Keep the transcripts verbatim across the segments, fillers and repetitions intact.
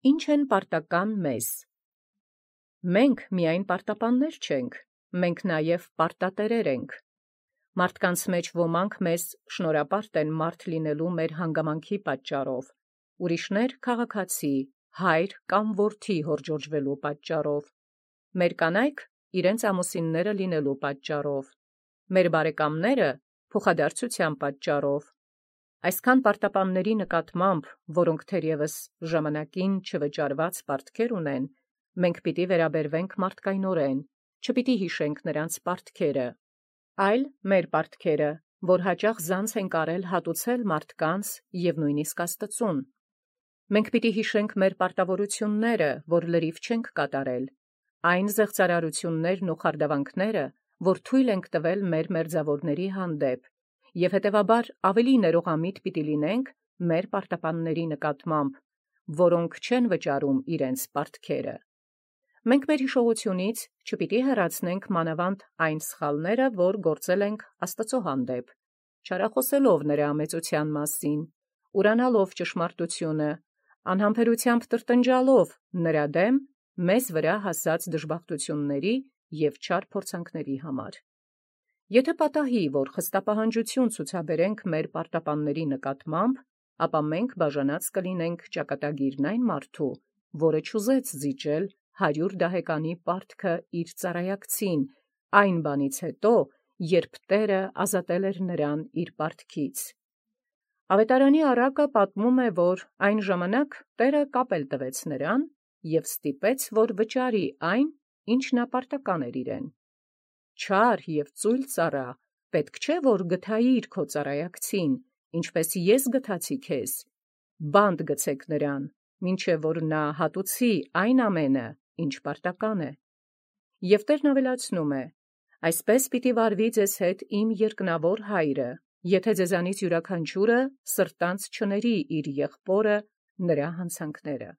Ինչ են պարտական մեզ։ Մենք միայն պարտապաններ չենք, մենք նաև պարտատերեր ենք։ Մարդկանց մեջ ոմանք մեզ շնորհապարտ են մարդ լինելու մեր հանգամանքի պատճառով, ուրիշներ քաղաքացի, հայր կամ որդի հորդորժվելու պատճառով, մեր կանայք իրենց ամուսինները լինելու պատճառով, մեր բարեկամները փոխադարձության պատճառով։ Այսքան պարտապանների նկատմամբ, որոնք թերևս ժամանակին չվճարված պարտքեր ունեն, մենք պիտի վերաբերվենք մարդկայնորեն, չպիտի հիշենք նրանց պարտքերը, այլ մեր պարտքերը, որ հաճախ զանց ենք արել հատուցել մարդկանց և նույնիսկ Աստծուն։ Մենք պիտի հիշենք մեր պարտավորությունները, որ լրիվ չենք կատարել, այն զեղծարարություններն ու խարդավանքները, որ թույլ ենք տվել մեր մերձավորների հանդեպ, և հետևաբար ավելի ներողամիտ պիտի լինենք մեր պարտապանների նկատմամբ, որոնք չեն վճարում իրենց պարտքերը։ Մենք մեր հիշողությունից չպիտի հեռացնենք մանավանդ այն սխալները, որ գործել ենք Աստծո հանդեպ, չարախոսելով նրա մեծության մասին, ուրանալով ճշմարտությունը, անհամբերությամբ տրտնջալով նրա դեմ մեզ վրա հասած դժբախտությունների և չար փորձանքների համար։ Եթե պատահի, որ խստապահանջություն ցուցաբերենք մեր պարտապանների նկատմամբ, ապա մենք բաժանած կլինենք ճակատագիրն այն մարդու, որը չուզեց զիջել հարյուր դահեկանի պարտքը իր ծառայակցին, այն բանից հետո, երբ Տերը ազատել էր նրան իր պարտքից։ Ավետարանի առակը պատմում է, որ այն ժամանակ Տերը կապել տվեց նրան և ստիպեց, որ վճարի այն, ինչ նա պարտական էր իրեն։ Չար և ծույլ ծառա, պետք չէ, որ գթայիր քո ծառայակցին, ինչպես ես գթացի քեզ, բանտ գցեք նրան, մինչև որ նա հատուցի այն ամենը, ինչ պարտական է։ Եվ Տերն ավելացնում է. այսպես պիտի վարվի ձեզ հետ իմ երկնավոր հայրը, եթե ձեզանից յուրաքանչյուրը սրտանց չների իր եղբորը նրա հանցանքները։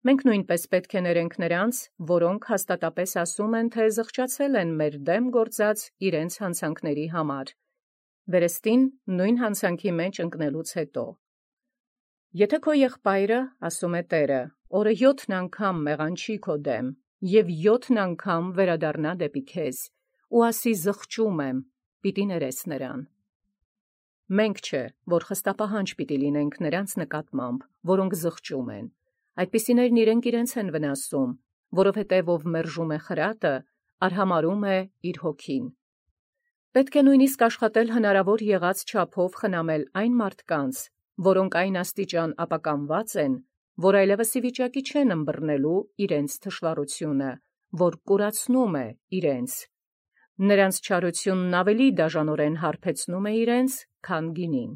Մենք նույնպես պետք է ներենք նրանց, որոնք հաստատապես ասում են, թե զղջացել են մեր դեմ գործած իրենց հանցանքների համար, վերստին նույն հանցանքի մեջ ընկնելուց հետո։ Եթե քո եղբայրը, ասում է Տերը, օրը յոթն անգամ մեղանչի քո դեմ, և յոթն անգամ վերադառնա դեպի քեզ, ու ասի զղջում եմ, պիտի ներես նրան։ Մենք չէ, որ խստապահանջ պիտի լինենք նրանց նկատմամբ, որոնք զղջում են, այդպիսիներն իրենք իրենց են վնասում, որովհետև ով մերժում է խրատը, արհամարհում է իր հոգին։ Պետք է նույնիսկ աշխատել հնարավոր եղած չափով խնամել այն մարդկանց, որոնք այն աստիճան ապականված են, որ այլևս ի վիճակի չեն ըմբռնելու իրենց թշվառությունը, որ կուրացնում է իրենց։ Նրանց չարությունն ավելի դաժանորեն հարբեցնում է իրենց, քան գինին։